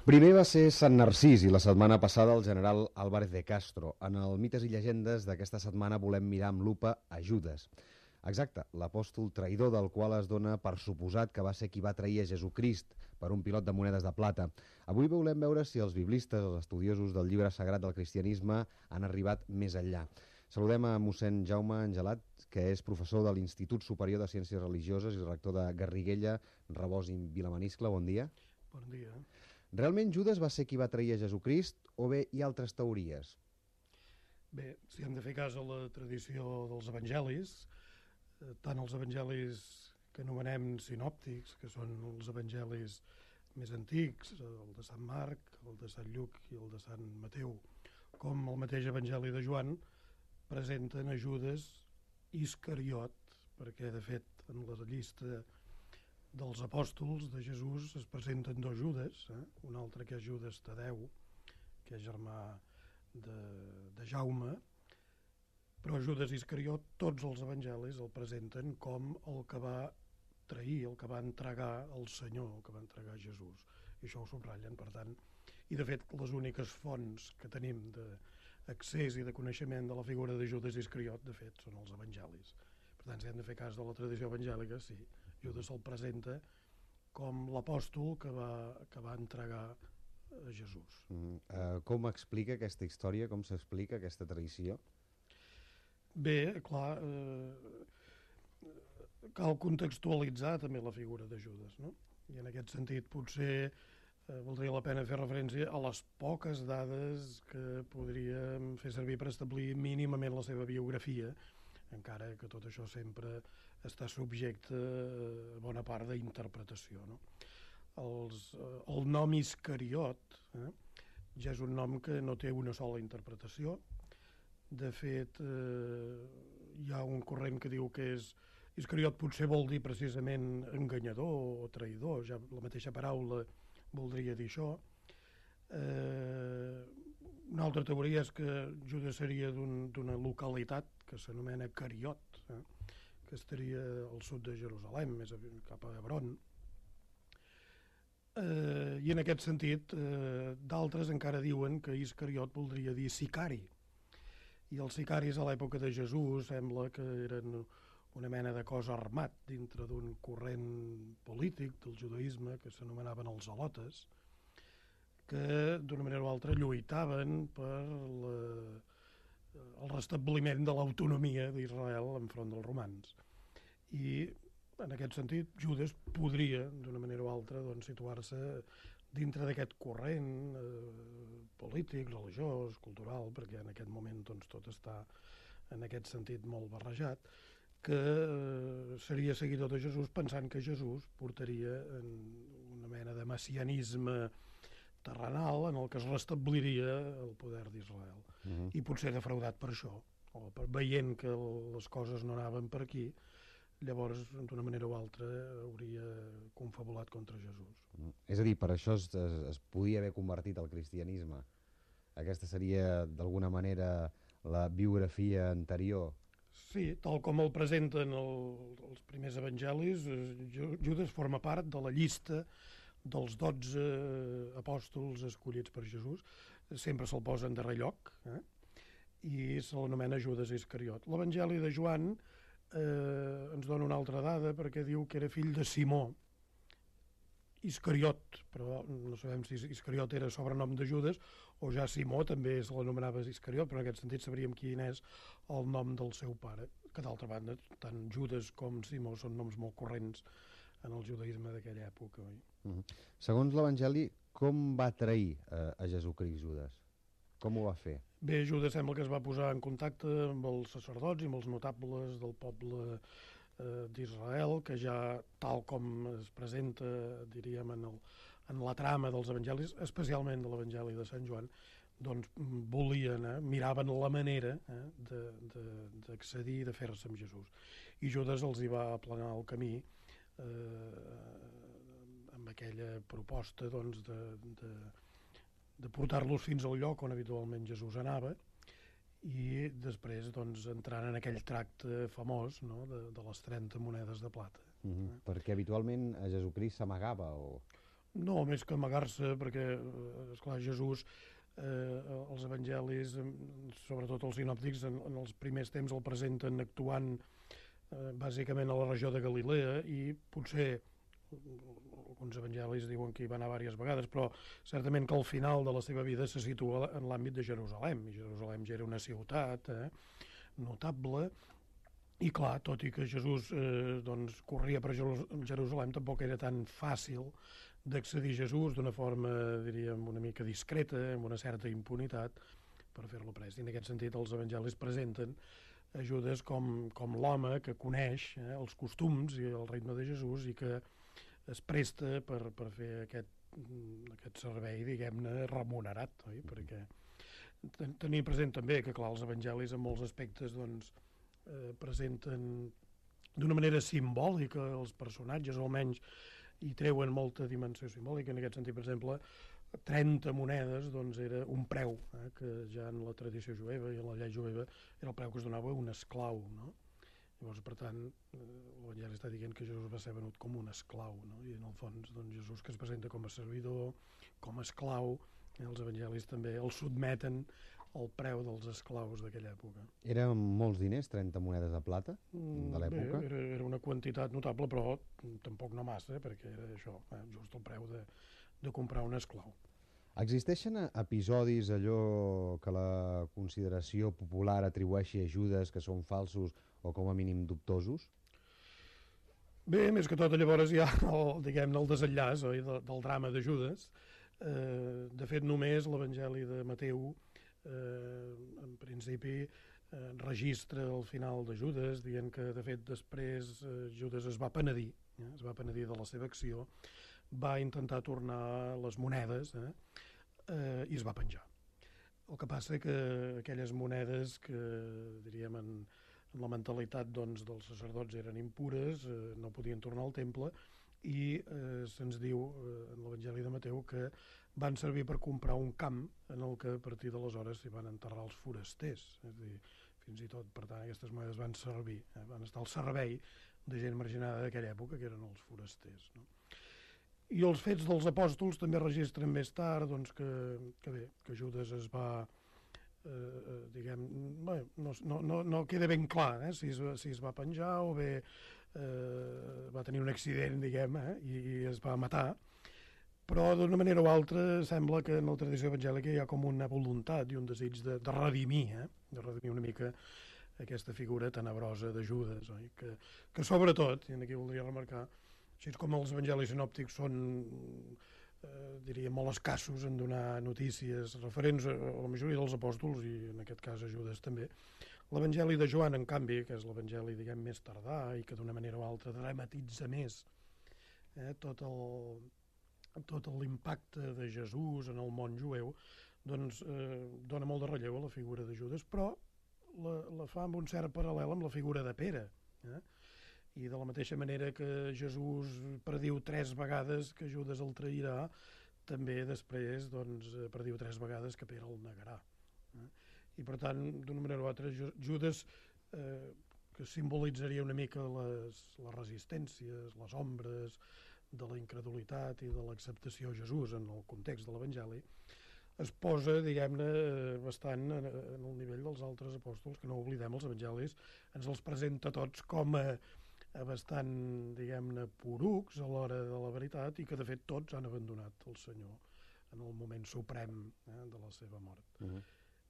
Primer va ser Sant Narcís i la setmana passada el general Álvarez de Castro. En el Mites i Llegendes d'aquesta setmana volem mirar amb lupa a Judes. Exacte, l'apòstol traïdor del qual es dona per suposat que va ser qui va trair a Jesucrist per un pilot de monedes de plata. Avui volem veure si els biblistes, els estudiosos del llibre sagrat del cristianisme, han arribat més enllà. Saludem a mossèn Jaume Angelat, que és professor de l'Institut Superior de Ciències Religioses i rector de Garriguella, Rabós i Vilamaniscle. Bon dia. Bon dia. Realment Judes va ser qui va trair a Jesucrist o bé hi ha altres teories? Bé, si hem de fer cas a la tradició dels evangelis, tant els evangelis que anomenem sinòptics, que són els evangelis més antics, el de Sant Marc, el de Sant Lluc i el de Sant Mateu, com el mateix evangeli de Joan, presenten a Judes Iscariot, perquè de fet en la llista dels apòstols de Jesús es presenten dos Judes, un altre que és Judes Tadeu, que és germà de Jaume, però Judes Iscariot tots els evangelis el presenten com el que va trair, el que va entregar el Senyor, el que va entregar Jesús, i això ho subratllen, per tant, i de fet les úniques fonts que tenim d'accés i de coneixement de la figura de Judes Iscariot, de fet, són els evangelis. Per tant, si hem de fer cas de la tradició evangèlica, sí, Judes se'l presenta com l'apòstol que va entregar a Jesús. Com explica aquesta història, com s'explica aquesta tradició? Bé, clar, cal contextualitzar també la figura de Judes, no? I en aquest sentit potser valdria la pena fer referència a les poques dades que podríem fer servir per establir mínimament la seva biografia, encara que tot això sempre està subjecte a bona part d'interpretació, no? El nom Iscariot ja és un nom que no té una sola interpretació. De fet, hi ha un corrent que diu que Iscariot potser vol dir precisament enganyador o traïdor, ja la mateixa paraula voldria dir això. Una altra teoria és que Judes seria d'una localitat que s'anomena Cariot, que estaria al sud de Jerusalem, més cap a Hebron. I en aquest sentit, d'altres encara diuen que Iscariot voldria dir sicari. I els sicaris a l'època de Jesús sembla que eren una mena de cos armat dintre d'un corrent polític del judaïsme que s'anomenaven els zelotes, que d'una manera o altra lluitaven per el restabliment de l'autonomia d'Israel enfront dels romans. I en aquest sentit Judes podria d'una manera o altra situar-se dintre d'aquest corrent polític, religiós, cultural, perquè en aquest moment tot està en aquest sentit molt barrejat, que seria seguidor de Jesús pensant que Jesús portaria una mena de messianisme terrenal en el que es restabliria el poder d'Israel. I potser defraudat per això, o veient que les coses no anaven per aquí, llavors, d'una manera o altra, hauria confabulat contra Jesús. És a dir, per això es podia haver convertit al cristianisme. Aquesta seria, d'alguna manera, la biografia anterior. Sí, tal com el presenten els primers evangelis, Judes forma part de la llista dels 12 apòstols escollits per Jesús. Sempre se'l posa en darrer lloc, i se l'anomena Judes Iscariot. L'evangeli de Joan ens dona una altra dada perquè diu que era fill de Simó Iscariot, però no sabem si Iscariot era sobrenom de Judes o ja Simó també se l'anomenava Iscariot, però en aquest sentit sabríem quin és el nom del seu pare, que d'altra banda tant Judes com Simó són noms molt corrents en el judaïsme d'aquella època. Oi? Segons l'Evangeli, com va trair a Jesucrist Judes? Com ho va fer? Bé, Judes sembla que es va posar en contacte amb els sacerdots i amb els notables del poble d'Israel, que ja, tal com es presenta, diríem, en la trama dels evangelis, especialment de l'evangeli de Sant Joan, doncs volien, miraven la manera d'accedir i de fer-se amb Jesús. I Judes els hi va aplanar el camí amb aquella proposta de portar-los fins al lloc on habitualment Jesús anava i després entrant en aquell tracte famós, no?, de les 30 monedes de plata. Perquè habitualment a Jesucrist s'amagava o... No, més que amagar-se, perquè, esclar, Jesús, els evangelis, sobretot els sinòptics, en els primers temps el presenten actuant bàsicament a la regió de Galilea, i potser alguns evangelis diuen que hi va anar diverses vegades, però certament que al final de la seva vida se situa en l'àmbit de Jerusalem, i Jerusalem ja era una ciutat notable, i clar, tot i que Jesús doncs, corria per Jerusalem, tampoc era tan fàcil d'accedir a Jesús d'una forma, diríem, una mica discreta, amb una certa impunitat, per fer-lo pres. I en aquest sentit els evangelis presenten a Judes com l'home que coneix els costums i el ritme de Jesús i que es presta per fer aquest servei, diguem-ne, remunerat, oi? Perquè tenir present també que, clar, els evangelis en molts aspectes doncs, presenten d'una manera simbòlica els personatges, o almenys hi treuen molta dimensió simbòlica. En aquest sentit, per exemple, 30 monedes doncs, era un preu, que ja en la tradició jueva i en la llei jueva era el preu que es donava a un esclau, no? Llavors, per tant, l'Evangeli està dient que Jesús va ser venut com un esclau, no? I en el fons, doncs, Jesús, que es presenta com a servidor, com a esclau, els evangelis també el sotmeten al preu dels esclaus d'aquella època. Eren molts diners, 30 monedes de plata de l'època? Bé, era una quantitat notable, però tampoc no massa, perquè era això, just el preu de comprar un esclau. Existeixen episodis, allò que la consideració popular atribueixi a Judes que són falsos o com a mínim dubtosos? Bé, més que tot, llavors hi ha diguem-ne el desenllaç, oi, del drama de Judes. De fet, només l'Evangeli de Mateu, en principi, registra el final de Judes, dient que, de fet, després Judes es va penedir de la seva acció, va intentar tornar les monedes i es va penjar. El que passa que aquelles monedes que, diríem, en la mentalitat doncs, dels sacerdots eren impures, no podien tornar al temple, i se'ns diu en l'Evangeli de Mateu que van servir per comprar un camp en el que a partir d'aleshores s'hi van enterrar els forasters. És a dir, fins i tot, per tant, aquestes monedes van servir, van estar al servei de gent marginada d'aquella època, que eren els forasters, no? I els Fets dels Apòstols també registren més tard doncs, que Judes es va, diguem, bé, no queda ben clar si es va penjar o bé va tenir un accident, diguem, i es va matar, però d'una manera o altra sembla que en la tradició evangèlica hi ha com una voluntat i un desig de redimir una mica aquesta figura tenebrosa de Judes, oi? Que sobretot, i aquí voldria remarcar, així com els evangelis sinòptics són, diria, molt escassos en donar notícies referents a la majoria dels apòstols, i en aquest cas a Judes també, l'Evangeli de Joan, en canvi, que és l'Evangeli, diguem, més tardà i que d'una manera o altra dramatitza més tot l'impacte de Jesús en el món jueu, doncs dona molt de relleu a la figura de Judes, però la fa amb un cert paral·lel amb la figura de Pere. I de la mateixa manera que Jesús prediu 3 vegades que Judes el trairà, també després doncs, prediu 3 vegades que Pere el negarà. I per tant, d'una manera o altra, Judes, que simbolitzaria una mica les resistències, les ombres de la incredulitat i de l'acceptació a Jesús en el context de l'Evangeli, es posa, diguem-ne, bastant en el nivell dels altres apòstols, que no oblidem, els evangelis ens els presenta tots com a bastant, diguem-ne, porucs a l'hora de la veritat, i que de fet tots han abandonat el Senyor en el moment suprem de la seva mort.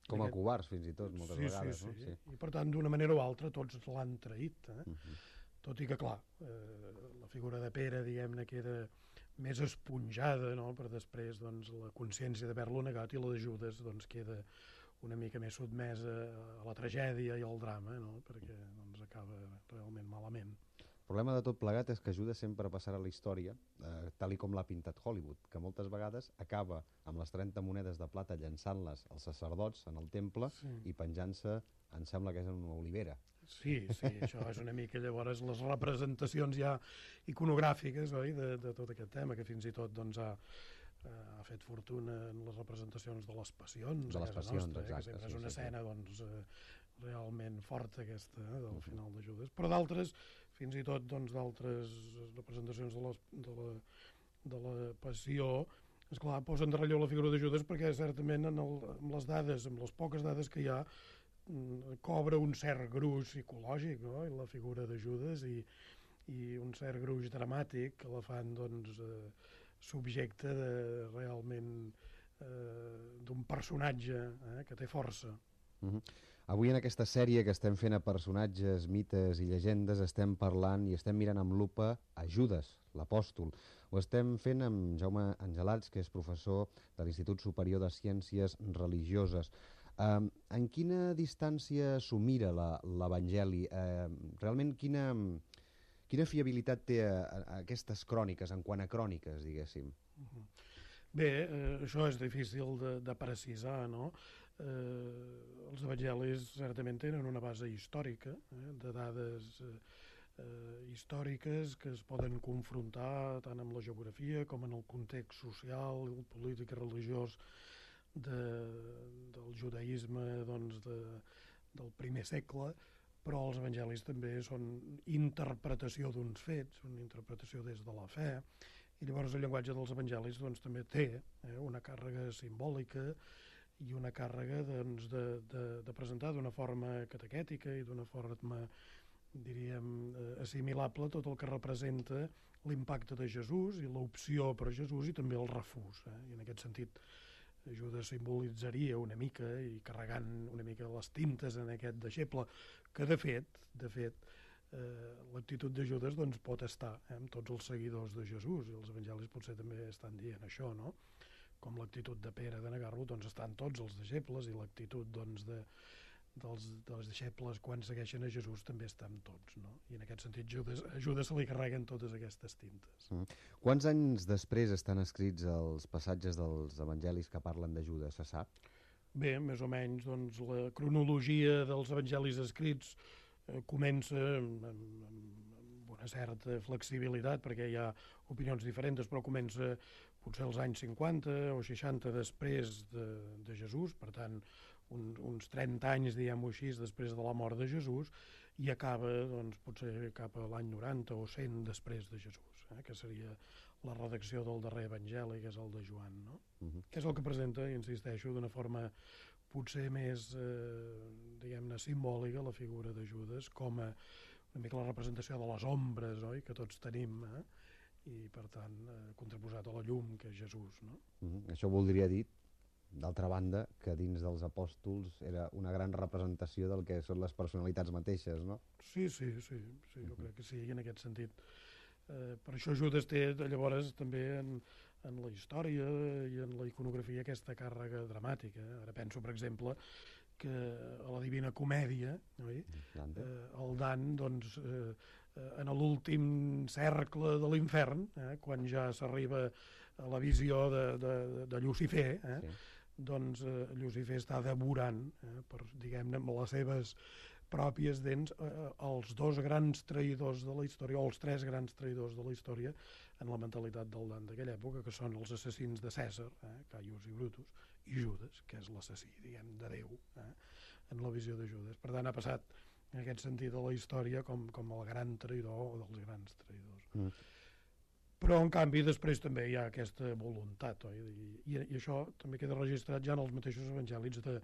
Com a covards, fins i tot, moltes vegades. Sí. No? Sí. I per tant, d'una manera o altra, tots l'han traït. Tot i que, clar, la figura de Pere, diguem-ne, queda més esponjada, no?, per després doncs, la consciència d'haver-lo negat, i la de Judes doncs, queda una mica més sotmesa a la tragèdia i al drama, no?, perquè doncs, acaba realment malament. El problema de tot plegat és que Judes sempre passarà a la història, tal i com l'ha pintat Hollywood, que moltes vegades acaba amb les 30 monedes de plata llançant-les als sacerdots en el temple i penjant-se, em sembla que és en una olivera. Sí, això és una mica llavors les representacions ja iconogràfiques, oi, de tot aquest tema, que fins i tot doncs, ha fet fortuna en les representacions de les passions de les passions, nostra, exacte, que sempre és una escena doncs, realment forta aquesta, del final de Judes, però d'altres, fins i tot doncs, d'altres representacions de la passió, esclar, posen de relleu la figura de Judes perquè certament amb les dades, amb les poques dades que hi ha, cobra un cert gruix psicològic, no? La figura de Judes i un cert gruix dramàtic que la fan doncs, subjecte realment d'un personatge que té força. Avui en aquesta sèrie que estem fent a personatges, mites i llegendes estem parlant i estem mirant amb lupa a Judes, l'apòstol. Ho estem fent amb Jaume Angelats, que és professor de l'Institut Superior de Ciències Religioses. En quina distància s'ho mira l'Evangeli? Realment quina fiabilitat té aquestes cròniques, en quant a cròniques, diguéssim? Bé, això és difícil de precisar, no? Els evangelis certament tenen una base històrica, de dades històriques que es poden confrontar tant amb la geografia com en el context social, polític i religiós del judaïsme doncs, del primer segle, però els evangelis també són interpretació d'uns fets, una interpretació des de la fe, i llavors el llenguatge dels evangelis doncs, també té una càrrega simbòlica i una càrrega doncs, de presentar d'una forma catequètica i d'una forma, diríem, assimilable tot el que representa l'impacte de Jesús i l'opció per Jesús i també el refús. I en aquest sentit Judes simbolitzaria una mica i carregant una mica les tintes en aquest deixeble, que de fet l'actitud de Judes doncs, pot estar amb tots els seguidors de Jesús, i els evangelis potser també estan dient això, no? Com l'actitud de Pere de negar-lo, doncs estan tots els deixebles, i l'actitud doncs, dels deixebles quan segueixen a Jesús també estan tots, no? I en aquest sentit a Judes se li carreguen totes aquestes tintes. Quants anys després estan escrits els passatges dels evangelis que parlen de Judes, se sap? Bé, més o menys doncs, la cronologia dels evangelis escrits comença amb una certa flexibilitat, perquè hi ha opinions diferents, però comença potser als anys 50 o 60 després de Jesús, per tant, uns 30 anys, diguem-ho així, després de la mort de Jesús, i acaba, doncs, potser cap a l'any 90 o 100 després de Jesús, que seria la redacció del darrer evangeli, que és el de Joan, no? Que és el que presenta, insisteixo, d'una forma potser més, diguem-ne, simbòlica, la figura de Judes, com una mica la representació de les ombres, oi?, que tots tenim, i, per tant, contraposat a la llum, que és Jesús, no? Això voldria dir, d'altra banda, que dins dels apòstols era una gran representació del que són les personalitats mateixes, no? Sí, jo crec que sí, en aquest sentit. Per això Judes té, llavors, també en la història i en la iconografia aquesta càrrega dramàtica. Ara penso, per exemple, que a la Divina Comèdia, oi? El Dan, doncs, en l'últim cercle de l'infern, quan ja s'arriba a la visió de Llucifer, doncs Llucifer està devorant, diguem-ne, amb les seves pròpies dents, els dos grans traïdors de la història, o els tres grans traïdors de la història, en la mentalitat del Dan d'aquella època, que són els assassins de Cèsar, Caius i Brutus, i Judes, que és l'assassí, diguem, de Déu, en la visió de Judes. Per tant, ha passat, en aquest sentit, a la història com el gran traïdor o dels grans traïdors. Però, en canvi, després també hi ha aquesta voluntat, oi? I això també queda registrat ja en els mateixos evangelis de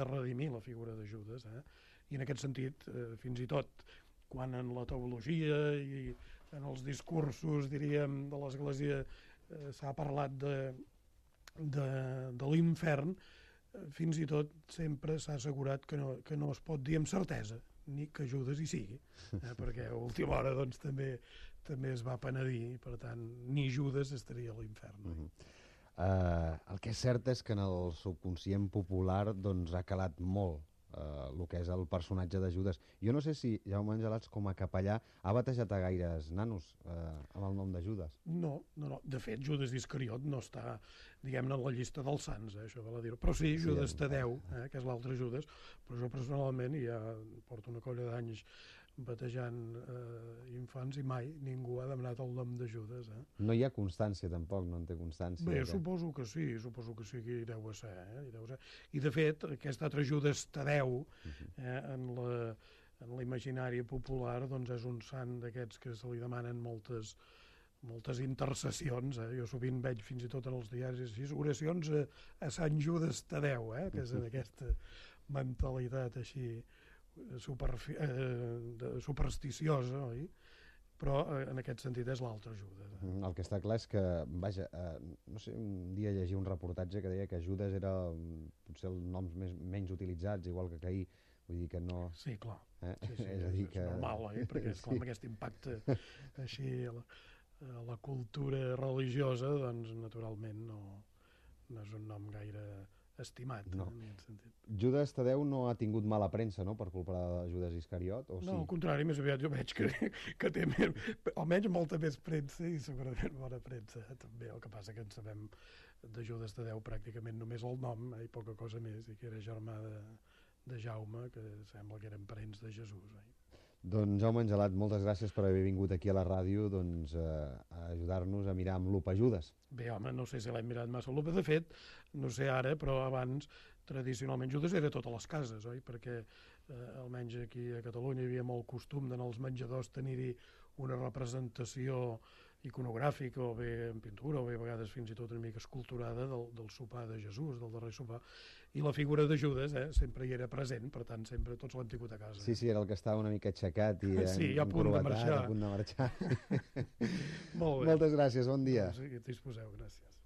redimir la figura de Judes, I en aquest sentit, fins i tot, quan en la teologia i en els discursos, diríem, de l'Església s'ha parlat de l'infern, fins i tot sempre s'ha assegurat que no es pot dir amb certesa, ni que Judes hi sigui, perquè a última hora doncs, també es va penedir, per tant, ni Judes estaria a l'infern. El que és cert és que en el subconscient popular doncs, ha calat molt el que és el personatge de Judes. Jo no sé si Jaume Angelats, com a capellà, ha batejat a gaires nanos amb el nom de Judes. No. De fet, Judes Iscariot no està, diguem-ne, en la llista dels sants, això val a dir-ho. Però sí, Judes Tadeu, que és l'altre Judes, però jo personalment ja porto una colla d'anys batejant infants i mai ningú ha demanat el nom de Judes. No hi ha constància tampoc, no en té constància. Bé, suposo que sí, que hi deu ser. I de fet, aquest altre Judes Tadeu, en l'imaginari popular, doncs és un sant d'aquests que se li demanen moltes moltes intercessions, jo sovint veig fins i tot en els diaris així, oracions a Sant Judes Tadeu, que és en aquesta mentalitat així supersticiosa, oi? Però en aquest sentit és l'altre Judes. El que està clar és que, vaja, no sé, un dia llegia un reportatge que deia que Judes era potser els noms menys utilitzats, igual que Caí, vull dir que no... Sí, clar. Sí, és a dir que... normal, perquè és clar, amb aquest impacte així a la cultura religiosa, doncs naturalment no és un nom gaire estimat, en aquest sentit. Judes Tadeu no ha tingut mala premsa, no?, per culpa de Judes Iscariot, o sí? No, al contrari, més aviat jo veig que té almenys molta més premsa i segurament bona premsa, també. El que passa que en sabem de Judes Tadeu pràcticament només el nom, i poca cosa més, i que era germà de Jaume, que sembla que eren parents de Jesús. Doncs Jaume Angelat, moltes gràcies per haver vingut aquí a la ràdio a ajudar-nos a mirar amb lupa Judes. Bé, home, no sé si l'hem mirat massa lupa. De fet, no sé ara, però abans, tradicionalment, Judes era a totes les cases, oi? Perquè almenys aquí a Catalunya hi havia molt costum d'anar als menjadors tenir-hi una representació iconogràfica, o bé en pintura, o bé a vegades fins i tot una mica esculturada del sopar de Jesús, del darrer sopar, i la figura de Judes sempre hi era present, per tant sempre tots l'hem tingut a casa. Sí, era el que estava una mica aixecat i a punt de marxar. A punt de marxar. Molt bé. Moltes gràcies, bon dia. Doncs, disposeu, gràcies.